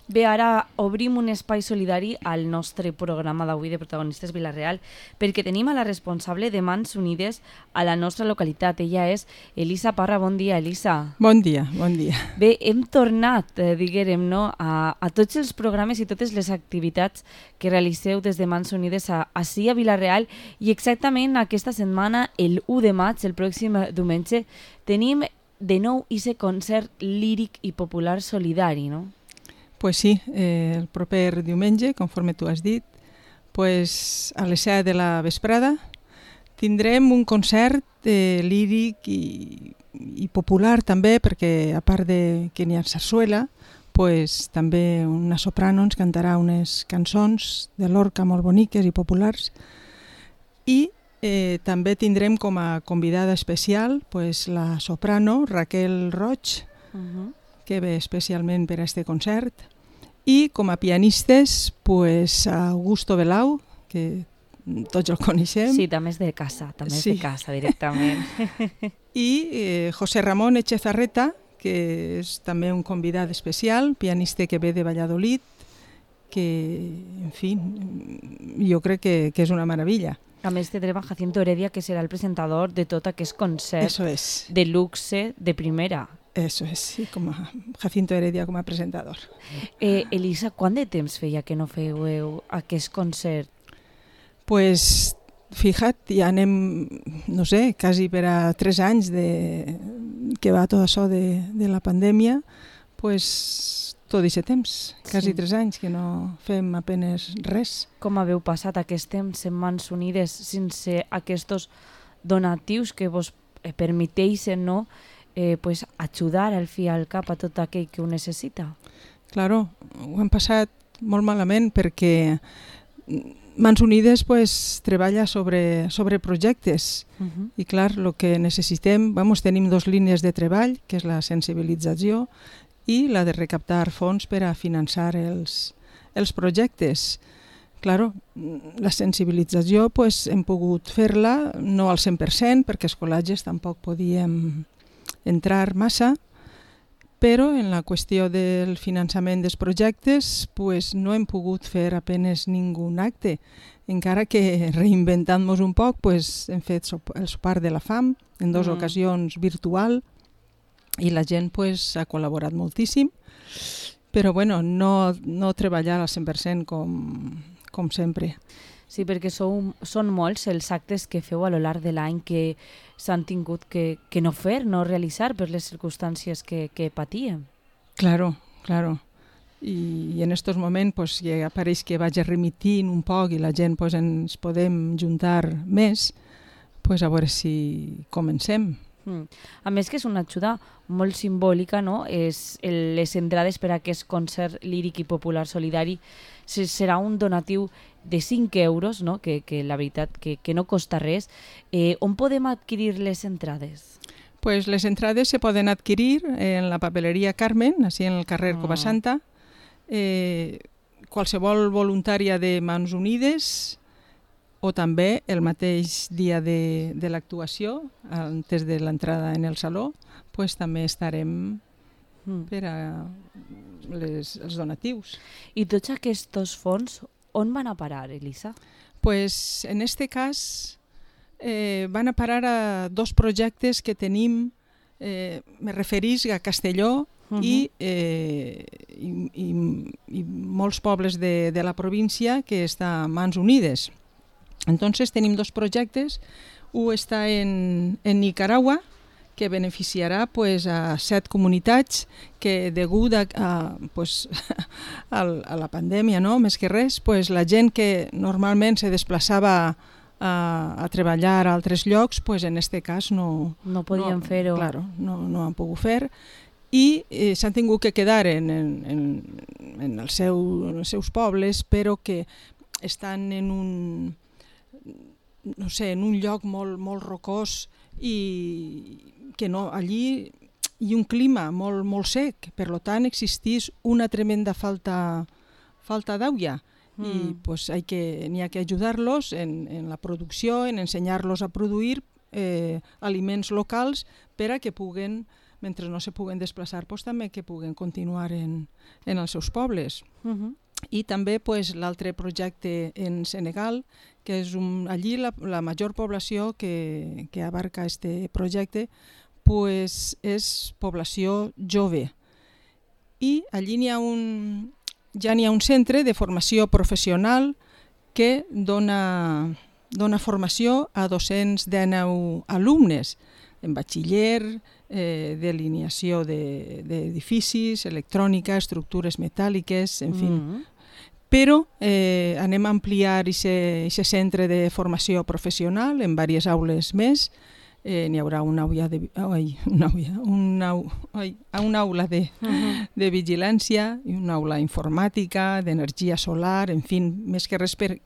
Bé, ara obrim un espai solidari al nostre programa d'avui de Protagonistes Vila-real perquè tenim a la responsable de Mans Unides a la nostra localitat. Ella és Elisa Parra. Bon dia, Elisa. Bon dia, bon dia. Bé, hem tornat, diguérem, no, a tots els programes i totes les activitats que realiseu des de Mans Unides ací a Vila-real i exactament aquesta setmana, el 1 de maig, el pròxim diumenge, tenim de nou ese concert líric i popular solidari, no? Pues sí, el proper diumenge, conforme tu has dit, pues a les 7 de la vesprada tindrem un concert líric i popular també, perquè a part de que n'hi ha sarsuela, pues, també una soprano ens cantarà unes cançons de Lorca molt boniques i populars. I també tindrem com a convidada especial pues, la soprano Raquel Roig, que ve especialment per a este concert, i com a pianistes pues, Augusto Belau, que tots el coneixem. Sí, també és de casa, de casa directament. I José Ramón Echezarreta, que és també un convidat especial, pianista que ve de Valladolid, que, en fi, jo crec que és una meravella. A més tindrem a Jacinto Heredia, que serà el presentador de tot aquest concert de luxe de primera. Eso es, sí, com a Jacinto Heredia com a presentador. Elisa, quant de temps feia que no fèieu aquest concert? Pues, fija't, ja anem, no sé, quasi per a 3 anys que va tot això de la pandèmia, pues tot aquest temps, quasi 3 anys que no fem apenes res. Com haveu passat aquest temps en Mans Unides sense aquests donatius que vos permeteixen, no?, pues ajudar al fi al cap a tot aquell que ho necessita? Claro, ho hem passat molt malament perquè Mans Unides pues, treballa sobre projectes i clar, el que necessitem, tenim 2 línies de treball, que és la sensibilització i la de recaptar fons per a finançar els projectes. Claro, la sensibilització pues, hem pogut fer-la no al 100% perquè els col·legis tampoc podíem entrar massa, però en la qüestió del finançament dels projectes pues, no hem pogut fer apenes ningú acte. Encara que reinventant-nos un poc pues, hem fet el sopar de la fam en 2 ocasions virtual i la gent pues, ha col·laborat moltíssim, però bueno, no treballar al 100% com sempre. Sí, perquè són molts els actes que feu a lo llarg de l'any que s'han tingut que no fer, no realitzar per les circumstàncies que patíem. Claro. I en aquests moments pues, ja pareix que vaig remitint un poc i la gent pues, ens podem juntar més, pues, a veure si comencem. A més que és una ajuda molt simbòlica, no? Les entrades per a aquest concert líric i popular solidari serà un donatiu de 5 euros, no? Que la veritat que no costa res. On podem adquirir les entrades? Pues les entrades se poden adquirir en la papeleria Carmen, així en el carrer Covasanta. Qualsevol voluntària de Mans Unides o també el mateix dia de l'actuació, antes de l'entrada en el saló, pues, també estarem per a els donatius. I tots aquests fons on van a parar, Elisa? Pues, en este cas van a parar a 2 projectes que tenim, me referís a Castelló i molts pobles de la província que està a Mans Unides. Entonces tenim 2 projectes, un està en Nicaragua, que beneficiarà pues, a 7 comunitats que degut a la pandèmia, no? Més que res, pues, la gent que normalment se desplaçava a treballar a altres llocs, pues, en aquest cas no podien fer-ho. Claro, no han pogut fer i s'han tingut que quedar en els seus pobles, però que estan en un lloc molt rocós i que allí hi ha un clima molt sec, per tant existís una tremenda falta d'aigua i pues, n'hi ha que ajudar-los en la producció, en ensenyar-los a produir aliments locals per a que puguen mentre no se puguen desplaçar, pues, també que puguen continuar en els seus pobles. I també pues, l'altre projecte en Senegal, que és allí la major població que abarca este projecte pues, és població jove. I allí ja n'hi ha un centre de formació professional que dona formació a 219 alumnes en batxiller, delineació d'edificis, electrònica, estructures metàl·liques, en fi. Però anem a ampliar aquest centre de formació professional en diverses aules més. N'hi haurà una aula de vigilància i una aula informàtica, d'energia solar, en fi, més que res per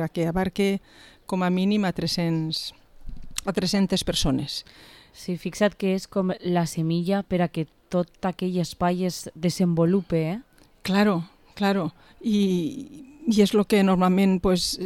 a que abarque com a mínim a 300 persones. Sí, fixa't que és com la semilla per a que tot aquell espai es desenvolupe, eh? Claro. I és el que normalment pues,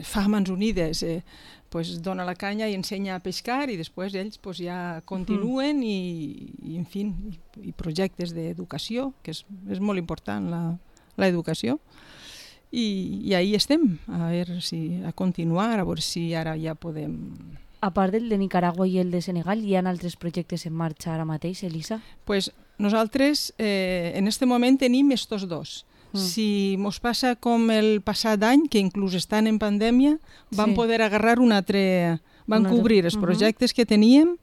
fa Mans Unides, pues, dona la canya i ensenya a pescar i després ells pues, ja continuen i en fi, i projectes d'educació, que és molt important l'educació. I ahí estem, a continuar, a veure si ara ja podem... A part del de Nicaragua i el de Senegal, hi ha altres projectes en marxa ara mateix, Elisa? Pues nosaltres en este moment tenim estos dos. Si mos passa com el passat any, que inclús estan en pandèmia, vam poder agarrar un altre... Vam cobrir els projectes que teníem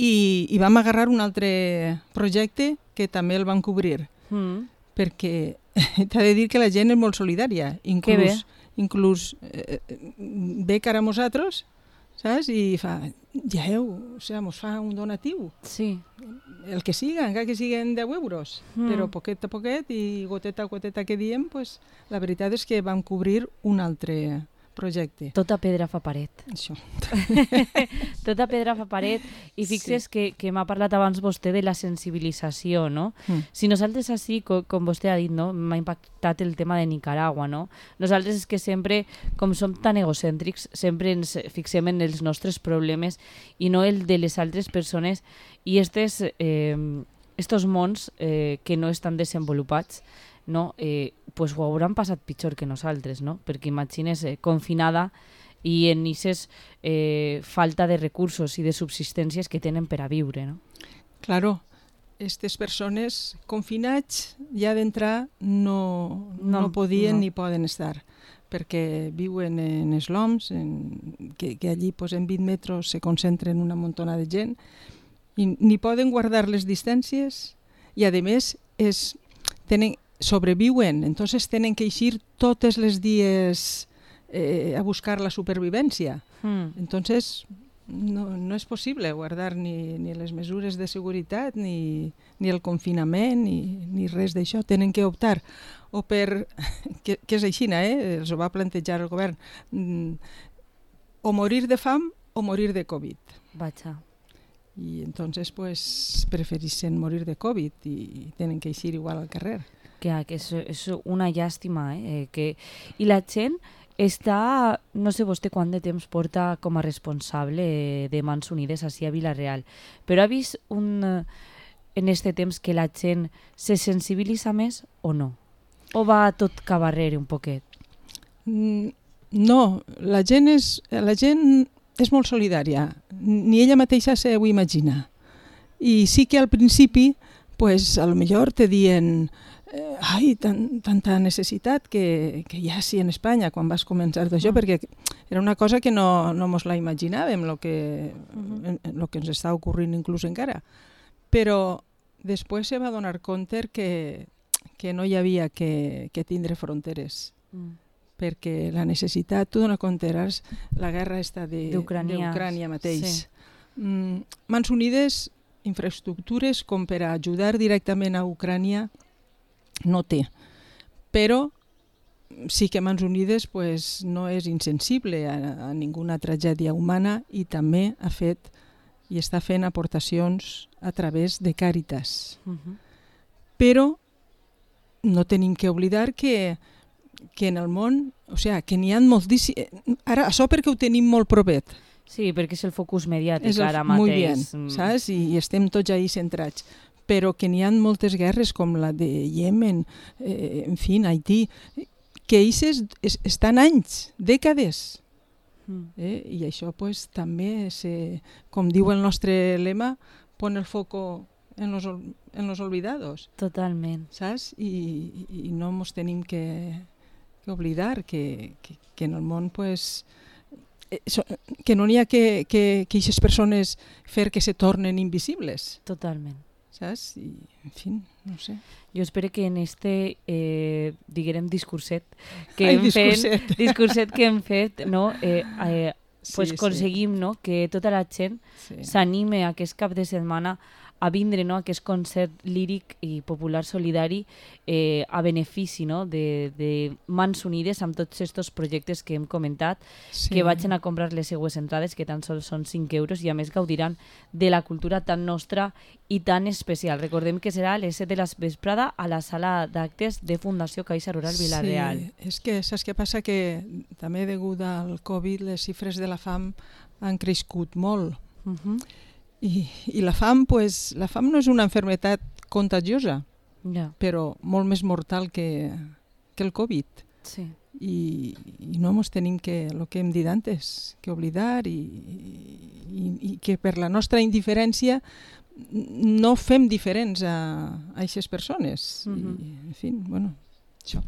i vam agarrar un altre projecte que també el vam cobrir. Perquè t'ha de dir que la gent és molt solidària. Inclús ve cara a nosaltres, saps? I fa, mos fa un donatiu. Sí. El que siga, encara que siguin 10 euros, però poquet a poquet i goteta a goteta que diem, pues, la veritat és que vam cobrir un altre projecte. Tota pedra fa paret. Això. Tota pedra fa paret. I fixes que m'ha parlat abans vostè de la sensibilització, no? Si nosaltres així, com vostè ha dit, no? M'ha impactat el tema de Nicaragua, no? Nosaltres és que sempre, com som tan egocèntrics, sempre ens fixem en els nostres problemes i no el de les altres persones i estos mons que no estan desenvolupats, no? Pues ho hauran passat pitjor que nosaltres, no? Perquè imagines confinada i en aquestes falta de recursos i de subsistències que tenen per a viure, no? Claro, aquestes persones confinats ja d'entrar no podien ni poden estar, perquè viuen en esloms, que allí pues, en 20 metres se concentren una muntona de gent, i ni poden guardar les distàncies i a més sobreviuen, entonces tenen que eixir totes les dies a buscar la supervivència. Entonces no és possible guardar ni les mesures de seguretat, ni el confinament, ni res d'això. Tenen que optar o per, que és així, els ho va plantejar el govern, o morir de fam o morir de Covid. Vaja. I entonces pues prefereixen morir de Covid i tenen que eixir igual al carrer. Que és una llàstima, I la gent està, no sé vostè quant de temps porta com a responsable de Mans Unides ací a Vila-real, però ha vist en este temps que la gent se sensibilitza més o no? O va tot cabarrer un poquet? No, la gent és molt solidària, ni ella mateixa s'ho imagina. I sí que al principi, pues, a lo millor te dient tanta necessitat que hi ha sí en Espanya quan vas començar d'això, perquè era una cosa que no mos la imaginàvem, el que ens està ocorrint inclús encara. Però després se va donar compte que no hi havia que tindre fronteres, perquè la necessitat, tu dona compte, la guerra està d'Ucrània mateix. Mans Unides, infraestructures com per a ajudar directament a Ucrània, no té, però sí que Mans Unides pues, no és insensible a ninguna tragèdia humana i també ha fet i està fent aportacions a través de Càritas. Però no tenim que oblidar que en el món, o sigui, que n'hi ha moltíssim... Ara, això perquè ho tenim molt propet, Sí, perquè és el focus mediàtic ara mateix. Molt bé, saps? I estem tots ahí centrats. Però que n'hi ha moltes guerres com la de Yemen, en fi, Haití, que ells estan anys, dècades. I això pues, també, com diu el nostre lema, pon el foco en los olvidados. Totalment. Saps? I no ens tenim que oblidar que en el món pues, que no n'hi ha que aquestes persones fer que se tornen invisibles. Totalment. Saps? I, en fi, no sé. Jo espero que en este, diguem, discurset que hem fet, no? Pues aconseguim, no? Que tota la gent s'anime aquest cap de setmana a vindre, no? Aquest concert líric i popular solidari a benefici, no? de Mans Unides amb tots aquests projectes que hem comentat, que vagin a comprar les seues entrades, que tan sols són 5 euros, i a més gaudiran de la cultura tan nostra i tan especial. Recordem que serà a les 7 de la vesprada a la sala d'actes de Fundació Caixa Rural Vila-real. Sí, és que saps què passa? Que també degut al Covid les xifres de la fam han crescut molt. I la fam, pues, la fam no és una malaltia contagiosa, però molt més mortal que el Covid. Sí. I no ens tenim que, el que hem dit antes, que oblidar i que per la nostra indiferència no fem diferents a aquestes persones. I, en fi, bueno, això.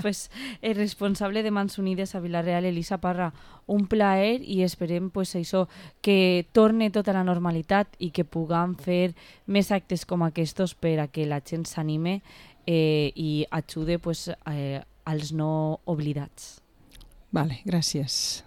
Pues, el responsable de Mans Unides a Vila-real, Elisa Parra, un plaer i esperem pues, això, que torne tota la normalitat i que puguem fer més actes com aquests per a que la gent s'anime i ajude pues, als no oblidats. Vale, gràcies.